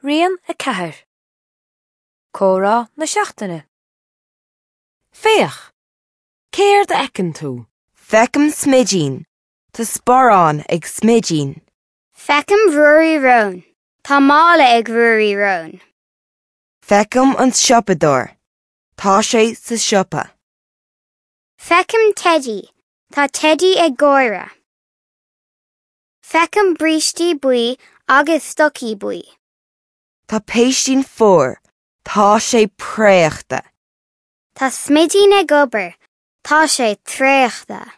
Rian 4. Comhrá na Seachtaine. Féach! Céard a fheiceann tú? Feicim smidín. Tá sparán ag smidín. Feicim Ruairí Rón. Tá mála ag Ruairí Rón. Feicim an siopadóir. Tá sé sa siopa. Feicim Teidí. Tá Teidí ag gáire. Feicim brístí buí agus stocaí buí. Tá péistín fuar. Tá sé préachta. Tá smidín ag obair. Tá sé traochta.